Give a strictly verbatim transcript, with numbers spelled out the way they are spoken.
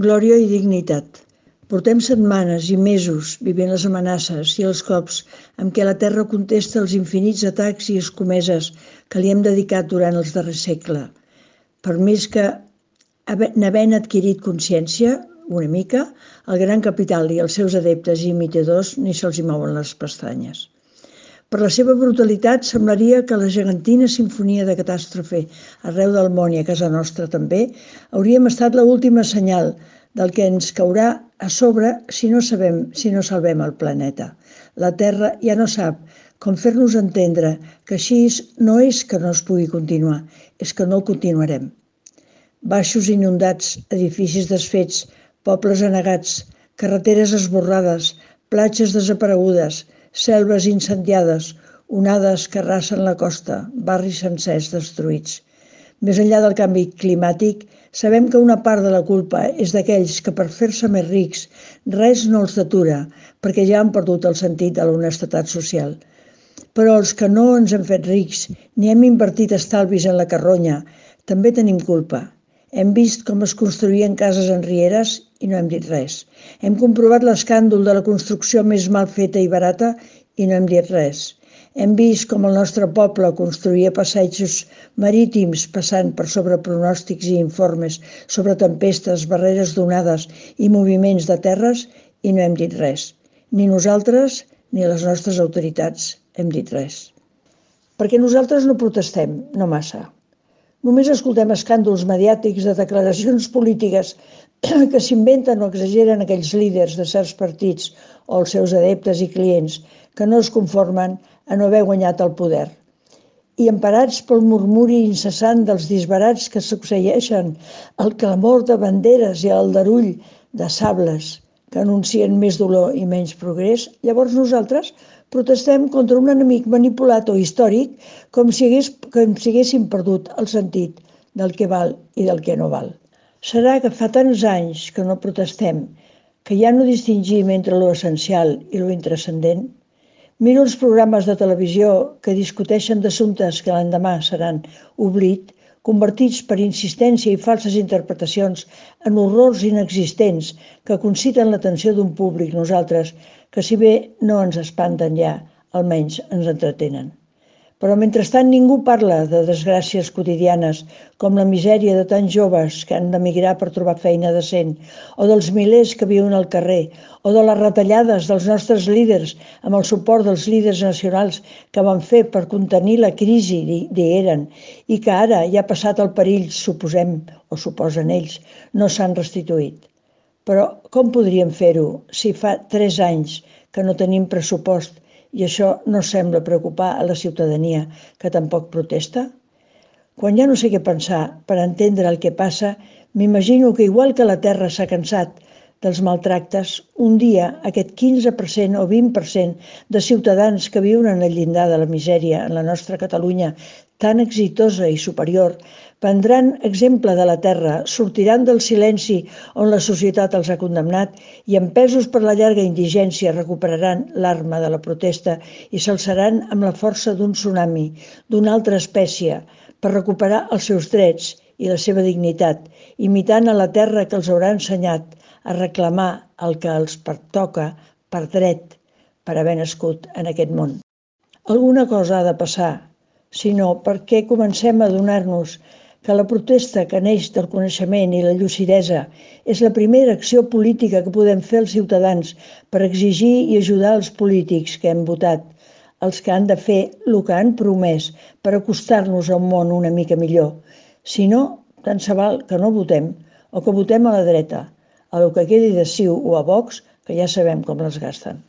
Glòria i dignitat. Portem setmanes i mesos vivint les amenaces i els cops amb què la Terra contesta els infinits atacs i escomeses que li hem dedicat durant els darrers segles. Per més que n'havent adquirit consciència, una mica, el gran capital i els seus adeptes i imitadors ni se'ls hi mouen les pestanyes. Per la seva brutalitat semblaria que la gegantina sinfonia de catàstrofe arreu del món i a casa nostra també hauríem estat l'última senyal del que ens caurà a sobre si no sabem, si no salvem el planeta. La Terra ja no sap com fer-nos entendre que així no és que no es pugui continuar, és que no el continuarem. Baixos inundats, edificis desfets, pobles anegats, carreteres esborrades, platges desaparegudes, selves incendiades, onades que arrasen la costa, barris sencers destruïts. Més enllà del canvi climàtic, sabem que una part de la culpa és d'aquells que per fer-se més rics res no els detura, perquè ja han perdut el sentit de l'honestedat social. Però els que no ens hem fet rics ni hem invertit estalvis en la carronya, també tenim culpa. Hem vist com es construïen cases en rieres i no hem dit res. Hem comprovat l'escàndol de la construcció més mal feta i barata i no hem dit res. Hem vist com el nostre poble construïa passejos marítims passant per sobre pronòstics i informes sobre tempestes, barreres d'onades i moviments de terres i no hem dit res. Ni nosaltres ni les nostres autoritats hem dit res. Perquè nosaltres no protestem, no massa. Només escoltem escàndols mediàtics de declaracions polítiques que s'inventen o exageren aquells líders de certs partits o els seus adeptes i clients que no es conformen a no haver guanyat el poder. I emparats pel murmuri incessant dels disbarats que succeeixen, el clamor de banderes i el aldarull de sables que anuncien més dolor i menys progrés, llavors nosaltres protestem contra un enemic manipulat o històric com si, hagués, com si haguéssim perdut el sentit del que val i del que no val. Serà que fa tants anys que no protestem que ja no distingim entre lo essencial i lo intranscendent? Miro els programes de televisió que discuteixen d'assumptes que l'endemà seran oblit, convertits per insistència i falses interpretacions en horrors inexistents que conciten l'atenció d'un públic, nosaltres, que si bé no ens espanten ja, almenys ens entretenen. Però mentrestant ningú parla de desgràcies quotidianes com la misèria de tants joves que han d'emigrar per trobar feina decent, o dels milers que viuen al carrer, o de les retallades dels nostres líders amb el suport dels líders nacionals que van fer per contenir la crisi, dieren, i que ara ja ha passat el perill, suposem, o suposen ells, no s'han restituït. Però com podríem fer-ho si fa tres anys que no tenim pressupost i això no sembla preocupar a la ciutadania, que tampoc protesta? Quan ja no sé què pensar per entendre el que passa, m'imagino que igual que la Terra s'ha cansat dels maltractes, un dia aquest quinze per cent o vint per cent de ciutadans que viuen en el llindar de la misèria en la nostra Catalunya tan exitosa i superior, prendran exemple de la Terra, sortiran del silenci on la societat els ha condemnat i, empesos per la llarga indigència, recuperaran l'arma de la protesta i s'alçaran amb la força d'un tsunami, d'una altra espècie, per recuperar els seus drets i la seva dignitat, imitant a la Terra que els haurà ensenyat a reclamar el que els pertoca per dret, per haver nascut en aquest món. Alguna cosa ha de passar, si no, per què comencem a adonar-nos que la protesta que neix del coneixement i la lucidesa és la primera acció política que podem fer els ciutadans per exigir i ajudar els polítics que hem votat, els que han de fer el que han promès per acostar-nos a un món una mica millor. Si no, tant se val que no votem o que votem a la dreta, a lo que quedi de C I U o a Vox, que ja sabem com les gasten.